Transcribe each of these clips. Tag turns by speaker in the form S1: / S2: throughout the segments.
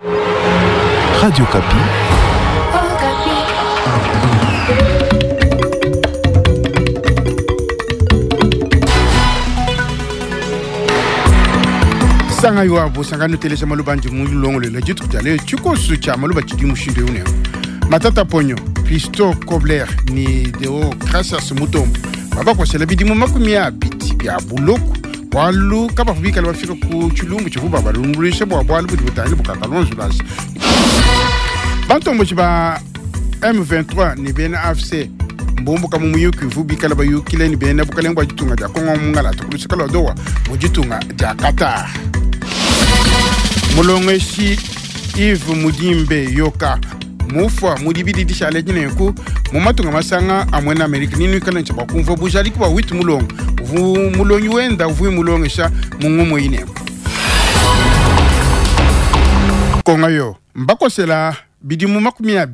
S1: Radio Okapi.
S2: Sanga yo abo sanga nuteleja maluba andi mulongolola dituku dia lelo tshikoso tshia maluba tshidi mushindu eu nenku Matata Ponyo, Christo Kobler ni Deo Gracias Mutombo babakosela bidimu 20 bia buloko bualu kabavua bikale bafika ku tshilumbu tshivua babalumbuluisha bua bualu budi butangila bukakalonzo nansha. Bantomboji ba M23 ne bena AFC mbumbuka mu muyuki uvu bikale bayukile ne bena bukalenge bua ditunga dia Kongo mu ngalata ku luseke lua Doha mu ditunga dia Qatar. Mulongeshi Yves Mudimbe Yoka mufua mu dibidi dishale edi nenku mu matunga masanga a muena Amerika ni nuikale ntshia bua kumvua bujadiki bua Wit Mulongo uvu mulongi wenda uvu mulongesha mu ngumu eyi nenku. Konga yo mbakosela bidimu 20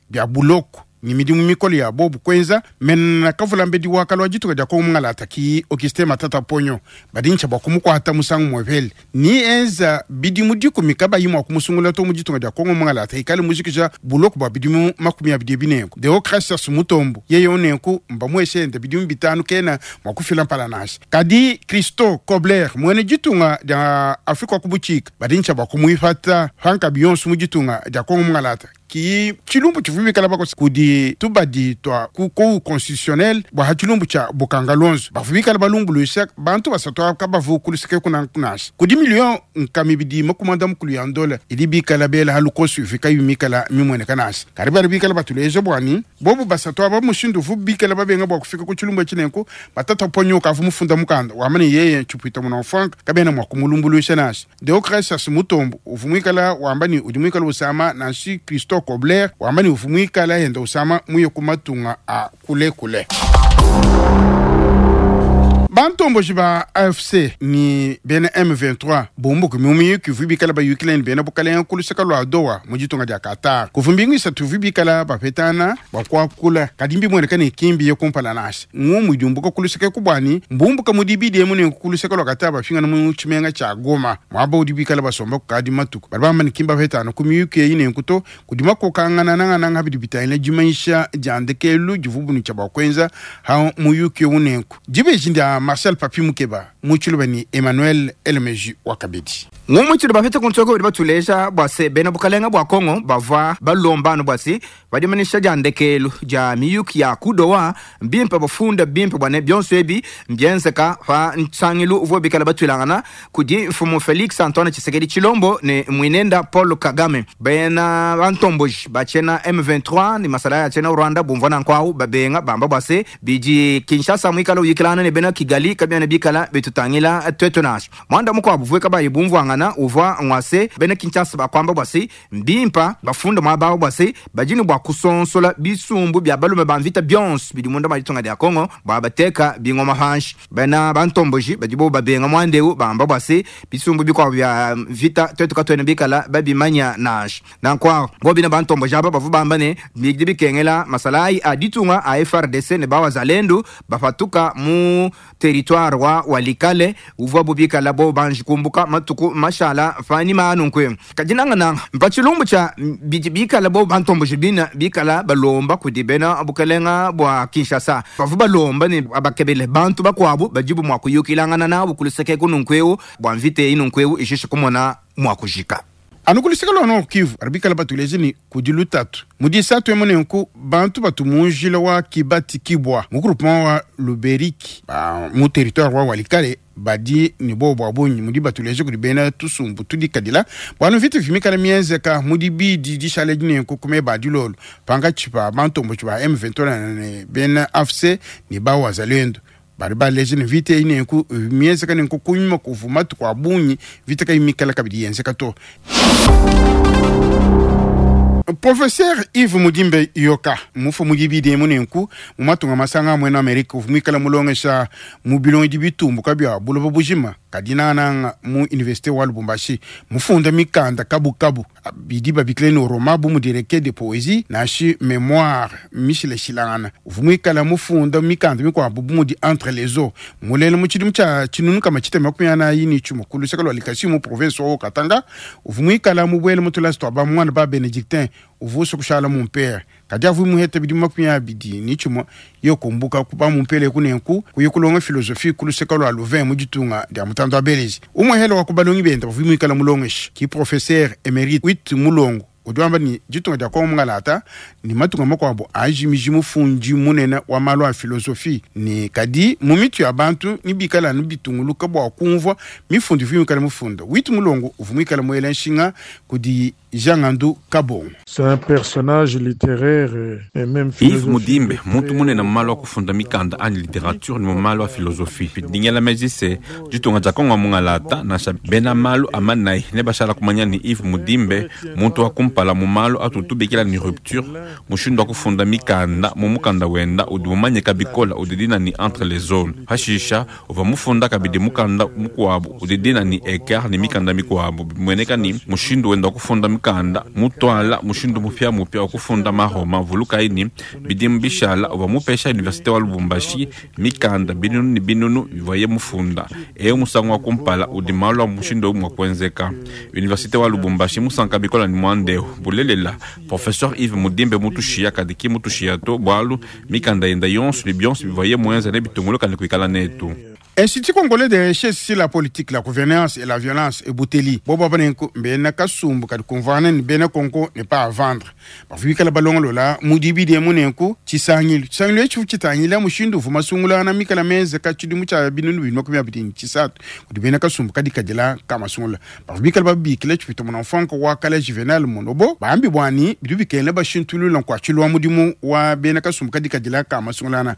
S2: bia buloko ne midimu mikole ya bobu kuenza mena kavulambedi wa kalua dituka dia Kongo mungalata ki Augustin Matata Ponyo badi ntshia bua kumukuata musangu muepele ni enza bidimu 10 kabayi mua kumusungula to mu ditunga dia Kongo mungalata ikale mujikija buloko bua bidimu 20 binenku. Deogratias Mutombo yeye unenku mbamueshe bidimu 5 kena mua kufila mpala nansha. Kadi Christo Kobler muene ditunga dia Afrika wa kubuchika badi ntshia bua kumuipata panka bionso mu ditunga dia Kongo mungalata ki tshilumbu tshivua bikala bakosa kudi tubadi twa ku cour constitutionnel bua ha tshilumbu tshia bukanga lonzo bavua bikala balumbuluisha bantu basatu aba kabavu kuluseke kuna nansha kudi million nkama ibidi makumanda mukulu ya ndola idi bikala bela ha lukosu ivika yumikala mimueneka nansha kadi bari bikala batuleja bwani bobu basatu aba mushindu uvu bikala babenga bua kufika ku tshilumbu etshi nenku batata ponyoka avu mufunda mukanda wamane yeye tshipwita muna frank kabena mua kumulumbuluisha nansha. Deogratias Mutombo uvu muikala wamba ni udi muikala usama nansi Christo Kobler wamba ni uvu muikala yenda usama muye kumatunga a kule kule. Bantomboji ba AFC ni bena M23 bumbuku mumiyuki uvu bikala bayukile ni bena bukalenga kuluseka lua Doha mu ditunga dia Qatar. Kuvumbingu isatu uvu bikala bapetana bakuakula kadi mbimueneka ne kimbi ye kumpala nansha. Ngumu idiumbuka kuluseka kubwani mbumbuka mudibidi emu ne kuluseka lua Qatar bafingana mu tshimenga tshia Goma. Mwaba udi bikala basomba kukadi matuku. Bari bamba ne kimba bapetana ku miyuki eyi ne nkuto kudi makokangana nangananga bidi bitangila dimanyisha dia ndekelu divubunu tshia bua kuenza ha muyuki ewu nenku. Dibeji ndia Marcel Papi Mukeba, mutshiluba ni Emmanuel Elmeji Wakabedi.
S3: Ngumu tshilu bafete kuntsoko bidi batuleja bua se bena bukalenga bua Kongo bavua balomba anu bua se badimanisha dia ndekelu dia miyuki ya kudowa mbimpe bafunda bimpe bua ne bionso ebi mbienzeka pa nsangilu uvua bikala batuilangana kudi mfumu Felix Antoine Tshisekedi Tshilombo ne mwinenda Paul Kagame. Bena bantomboji bachena M23 ni masala ya chena Rwanda bumvua na nkwau babenga bamba bua se bidi Kinshasa mwikala uyikilana ne bena Kigali kabia bikala bitutangila twetu nasho. Mwanda mukwabu vueka bayi bumvuangana uvua ngwase bena Kinshasa bakwamba bwase mbimpa bafunda mwabawo bwase bajini bwa kusonsola bisumbu bya balume ba mvita bionso bidi munda maditunga dia Kongo bwa bateka bingoma hanshi. Bena bantomboji badibo babenga mwandeu bamba bwase bisumbu bikwa bya vita twetu katwene bikala babimanya nasho. Nankwa bo bina bantomboji aba bavu bamba ne bidi bikengela masalai a ditunga a FRDC ne bawa zalendo bafatuka mu territoire wa walikale uvua bubikala bo banji kumbuka matuku mashala fani manu nkwe kajinanga na mpachilumbu cha bidi bikala bo bantomboji bina bikala balomba kudibena bukalenga bwa Kinshasa bavu balomba ne abakebele bantu bakwabu bajibu mwa kuyukilangana nabo kuluseke kununkweu bwa mvite inunkweu ishishe kumona mwa kujika.
S2: Anukuliseka lwa Nord Kivu, arabikala batulezi ni kudi lutatu. Mudi satu emone nku bantu batu munjila wa Kibati Kibwa, mu groupement wa Luberiki, ba, mu territoire wa Walikale, badi ni bo bwa bunyi mudi batuleje kudi bena tusumbu tudi kadila. Bwanu vitu vimikala mienzeka mudi bidi dishale dine nku kume badi lolo. Panga chipa bantu mbo chipa M23 ne bena AFC ni ba wazalendo. Bari baleje ne vite ine nku mienzeka ne nku kunyuma kuvuma tu kwa bunyi vite ka imikala kabidi yenzeka to. Professeur Yves Mudimbe Yoka, mufu mudibidi emune nku, mumatunga masanga mwena Amerika, uvumikala mulongesha mu bilongi di bitumbu kabia buloba bujima. Kadi nangananga mu universite wa Lubumbashi, mufunda mikanda kabukabu bidi babikila ne roman bu mudi recueil de poesie nansha memoire mishilashilangana. Uvua muikala mufunda mikanda mikuabu bu mudi Entre les eaux, mulela mu tshidimu tshia tshinunu kama tshitema 45 ku luseke lua Likasi mu province wa Haut-Katanga. Uvua muikala mubuele mu tulasa tua ba muana ba Benedictin, uvua usua kushala mumpere. Kadi avua muheta bidimu 21 ye kumbuka ku ba mumpere ku nenku kuya kulonga philosophie ku luseke lua Louvain mu ditunga dia mutandu wa Belgique. Umue wa ku balongi bende bavua muikala mulongeshi ki professeur emerite Wit Mulongo udi wamba ne ditunga dia Kongo mungalata ne matunga makuabu ajimiji mufundi munene wa malu a philosophie ne kadi mu mitu ya bantu ni bikala anu bitunguluka bua kumvua mifundu ivua muikala mufunda. Wit Mulongo uvua muikala muela nshinga kudi Jean Ngandu Kabongo.
S1: C'est un personnage littéraire et même
S4: Yves
S1: philosophique.
S4: Mudimbe, muntu munene mu malu a kufunda mikanda anyi littérature ne mu malu a philosophie. Dingela meji se ditunga dia Kongo mungalata nansha bena malu a manai ne bashala kumanya ni Yves Mudimbe muntu wa kumpala mu malu atutubikila ni rupture mushindu wa kufunda mikanda mu mukanda wenda udi mumanyika bikola udi dina ni entre les zones. Hashisha uvua mufunda kabidi mukanda mukuabu udi dina ni écart ni mikanda mikuabu bimueneka ni mushindu wenda wa kufunda mikanda mutwala mushindu mupya mupya wa kufunda mahoma vuluka ini bidimu bishala uvua mupesha universite wa Lubumbashi mikanda binunu ni binunu bivuaye mufunda eyo musangu wa kumpala udi malu a mushindu owu mua kuenzeka. Universite wa Lubumbashi musanka bikola ni muandeo bulelela professeur Yves Mudimbe mutushiya kadi ki mutushiya to bwalu mikanda yenda yonso ni bionso bivuaye muenza ne bitunguluka ni kuikala netu.
S2: Institut congolais de recherche sur la politique, la gouvernance et la violence ebuteli bobo banenku mbena kasumbu kadi kumvana ni bena Kongo n'est pas à vendre. Bavuikala balongolola mudibi de munenku chisangilu chisangilu echi chitangila mushindu uvuma sungula na mikala meze ka chidimu cha binunu bino 23 kudi bena kasumbu kadi kadila kama sungula. Bavuikala babikile chipito mona mfanko wa kala Juvenal Monobo bambi bwani bidu bikele bashintulu la kwa chilwa mudimu wa bena kasumbu kadi kadila kama sungula na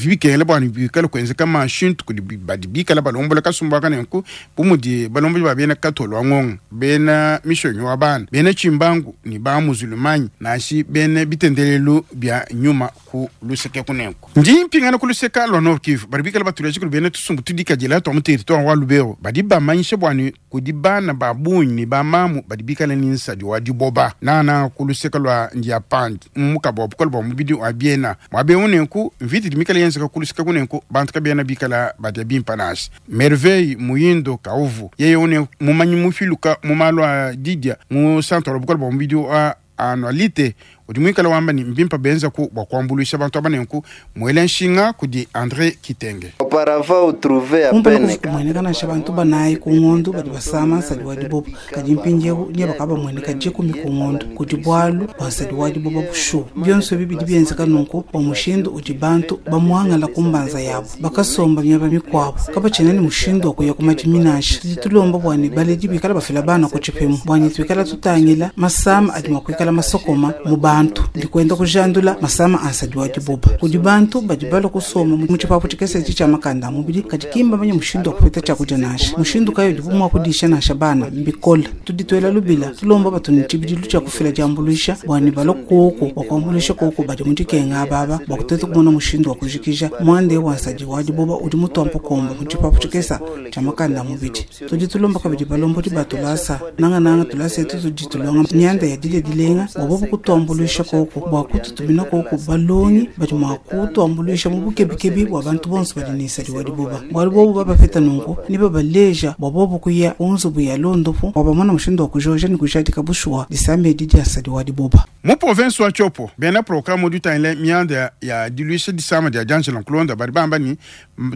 S2: bikele bwani bikala kwenze kama shintu kudi badi bikala balombola kasumbu aka nenku bumudi balombola ba bena katolwa ngonga bena mishonyi wa bana bena chimbangu ni ba muzulumanyi nashi bena bitendelelu bya nyuma ku luseke kunenku. Ndi mpingana ku luseka lwa Nord Kivu bari bikala batulaje kuli bena tusumbu tudikadila twa mu territoire wa Lubero badi bamanyisha bwani kudi bana ba bunyi ni ba mamu badi bikala ni nsadi wa diboba nana ku luseka lwa Ndiapandi mukabo wa bukola bwa mubidi wa biena mwabe unenku mviti dimikala yenzeka ku luseka kunenku bantu kabena bikala badia bimpa nasi. Merveille Muyindo Kauvu yeye une mumanyi mufiluka mu malu a didia mu centre wa bukola bwa mubidi wa annualité udi muikala wamba ni mbimpa benza ku bwa kuambuluisha bantu aba nenku mwele nshinga kudi André Kitenge.
S5: Auparavant, on trouvait à
S6: kumpala
S5: peine
S6: kumweneka nansha bantu banayi ku ng'ondo badi basama nsadi wa diboba kadi mpindiewu nye bakaba bamueneka dikumi ku ng'ondo kudi bwalu bua nsadi wa diboba bushuwa. Bionso ebi bidi bienzeka nunku bua mushindu udi bantu bamuangala ku mbanza yabo bakasomba miaba mikuabu kabatshiena ne mushindu wa kuya ku madimi nansha. Tudi tulomba bua ne baledi bikala bafila bana ku tshipimo bua ne tuikala tutangila masama adi mua kuikala masokoma mu bantu ndikwenda kujandula masama a nsadi wa diboba kudi bantu badi balua kusoma mu tshipapu tshikese etshi tshia makanda a mubidi kadi kimba manya mushindu wa kupeta tshiakudia nansha mushindu kayi udibu mua kudisha nansha bana mbikola. Tudi tuela lubila tulomba batu ne tshibidilu tshia kufila diambuluisha bua ne balua kuoku bua kuambuluisha kuoku badi mu dikenga ababa bua kuteta kumona mushindu wa kujikija muande wa nsadi wa diboba udi mutuampa komba mu tshipapu tshikesa tshia makanda a mubidi. Tudi tulomba kabidi balombodi ba tulasa nangananga tulasa etu tudi tulonga mianda ya dile dilenga bua bobu kutuambuluisha koko bua kututumina koko balongi badi mua kutuambuluisha mu bukebukebi bua bantu bonso badi ne nsadi wa diboba bualu bobu babapeta nunku ni babaleja bua bobu kuya ku nzubu ya londopu bua bamona mushindu wa kujoja ni kujadika bushuwa disamba edi dia nsadi wa diboba.
S2: Mu province wa Tshopo bena programme udi utangila mianda ya diluisha disama dia D'Angelo Nkulonda badi bamba ni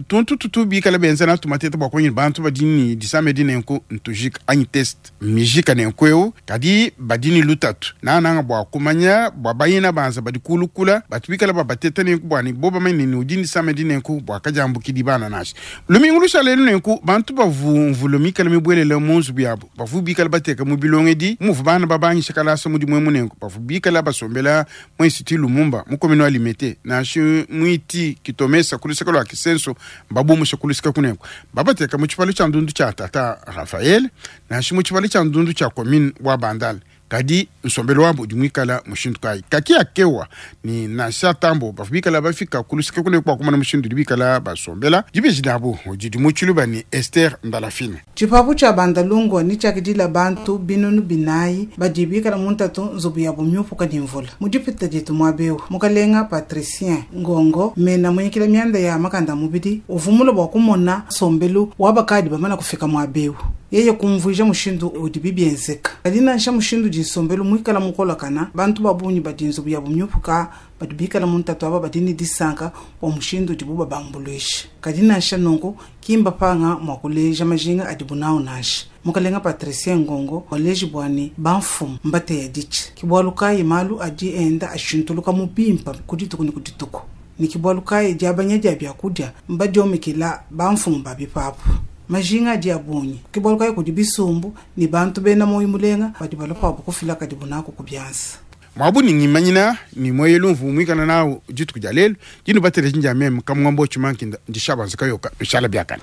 S2: tuntu tutu bikala benza na tumateta bua kumanya bantu badi ni disama edi nenku ntujika anyi test mijika nenku eu kadi badi ni lutatu nananga bua kumanya bua bayina banza badi kulukula batu bikala babateta nenku bua ni bo bamanye ni udi ni disama edi nenku bua kajambukidi bana nashi. Lumingu lushala elu nenku bantu bavumvula mikala mibwelela mu nzubu yabo bavu bikala bateka mu bilongo edi muvu bana babangisha kalasa mudimu emu nenku bavu bikala basombela mu institut Lumumba mu commune wa Limete nansha muiti kitomesa kuluseka lwa Kisenso babumusha kuluseka kunenku babateka mu tshipalo tshia ndundu tshia tata Raphael nansha mu tshipalo tshia ndundu tshia commune wa Bandal. Kadi nsombelu wabu udi muikala mushindu kayi? Kaki akewa ni nansha tambo bavua bikala bafika ku luseke kule bua kumona mushindu udi bikala basombela. Dibeji diabu didi mu tshiluba ni Esther Ndalafine.
S6: Tshipapu tshia Bandalungwa ne tshiakidila bantu 4000 badi bikala mu ntatu nzubu yabu miupuka ne mvula. Mu dipita dietu muaba eu, mukalenga Patricien Ngongo mena munyikila mianda ya makanda a mubidi uvua mulue bua kumona nsombelu wa bakadi bamana kufika muaba eu. Yeye kumvuija mushindu udibi bienzeka. Kadi nansha mushindu udi nsombelu muikala mukolakana, bantu ba bungi badi nzubu yabu miupuka badi bikala mu ntatu aba badi ne disanka bua mushindu udibu babambuluisha. Kadi nansha nunku, ki mbapanga mua kuleja majinga adibu nawu nansha. Mukalenga Patricien Ngongo waleji bua ne bamfumu mbateya ditshi. Ke bualu kayi malu adi enda ashintuluka mu bimpa ku dituku ne ku dituku. Ne ke bualu kayi diabanya dia biakudia mbadiomekela bamfumu ba bipapu. Majinga adi a bungi. Ke bualu kayi kudi bisumbu ne bantu bena muoyo mulenga badi balua pabu kufila kadibu naku ku bianza.
S2: Muabu ne ngimanyina ne mueyelu mvua muikala nawu dituku dia lelu, dinu bateleji ndia meme Kamungombo Tshimankinda, ndi Shabanza Kayoka, nushala biakane.